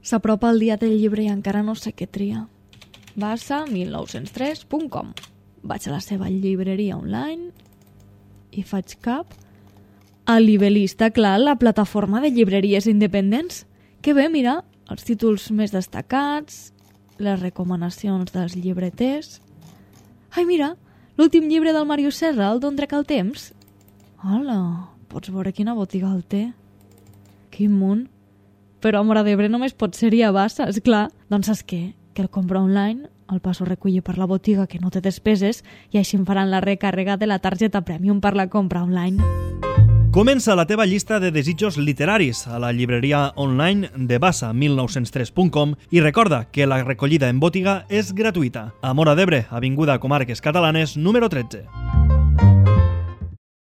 S'apropa el dia del llibre i encara no sé què triar. Bassa1903.com. Vaig a la seva llibreria online i faig cap a Libelista, clar, la plataforma de llibreries independents. Que bé, mira, els títols més destacats, les recomanacions dels llibreters. Ai, mira, l'últim llibre del Màrius Serra, el d'on trec el temps. Hola, pots veure quina botiga el té. Quin munt. Però a Móra d'Ebre només pot ser-hi a Bassa, esclar. Doncs saps què? Que el compra online, el passo a recollir per la botiga que no té despeses i així em faran la recàrrega de la targeta Premium per la compra online. Comença la teva llista de desitjos literaris a la llibreria online de Bassa1903.com i recorda que la recollida en botiga és gratuïta. A Móra d'Ebre, avinguda Comarques Catalanes, número 13.